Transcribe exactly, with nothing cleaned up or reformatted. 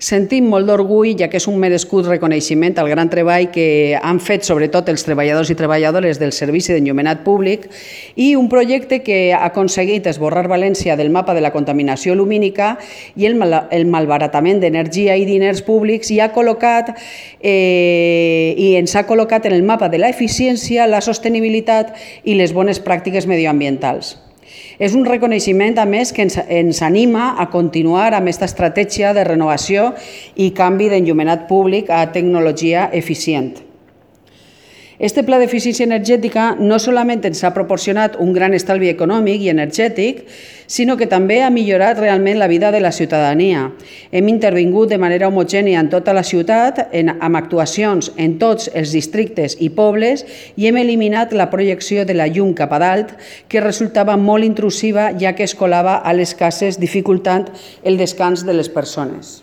Sentim molt d'orgull, ja que és un merescut reconeixement al gran treball que han fet sobretot els treballadors i treballadores del Servici d'Enllumenat Públic i un projecte que ha aconseguit esborrar València del mapa de la contaminació lumínica i el, mal el malbaratament d'energia i diners públics i ha col·locat eh, i ens ha col·locat en el mapa de l'eficiència, la sostenibilitat i les bones pràctiques medioambientals. És un reconeixement, a més, que ens, ens anima a continuar amb aquesta estratègia de renovació i canvi d'enllumenat públic a tecnologia eficient. Este pla d'eficiència energètica no solament ens ha proporcionat un gran estalvi econòmic i energètic, sinó que també ha millorat realment la vida de la ciutadania. Hem intervingut de manera homogènia en tota la ciutat, en, amb actuacions en tots els districtes i pobles, i hem eliminat la projecció de la llum cap a dalt, que resultava molt intrusiva, ja que es colava a les cases, dificultant el descans de les persones.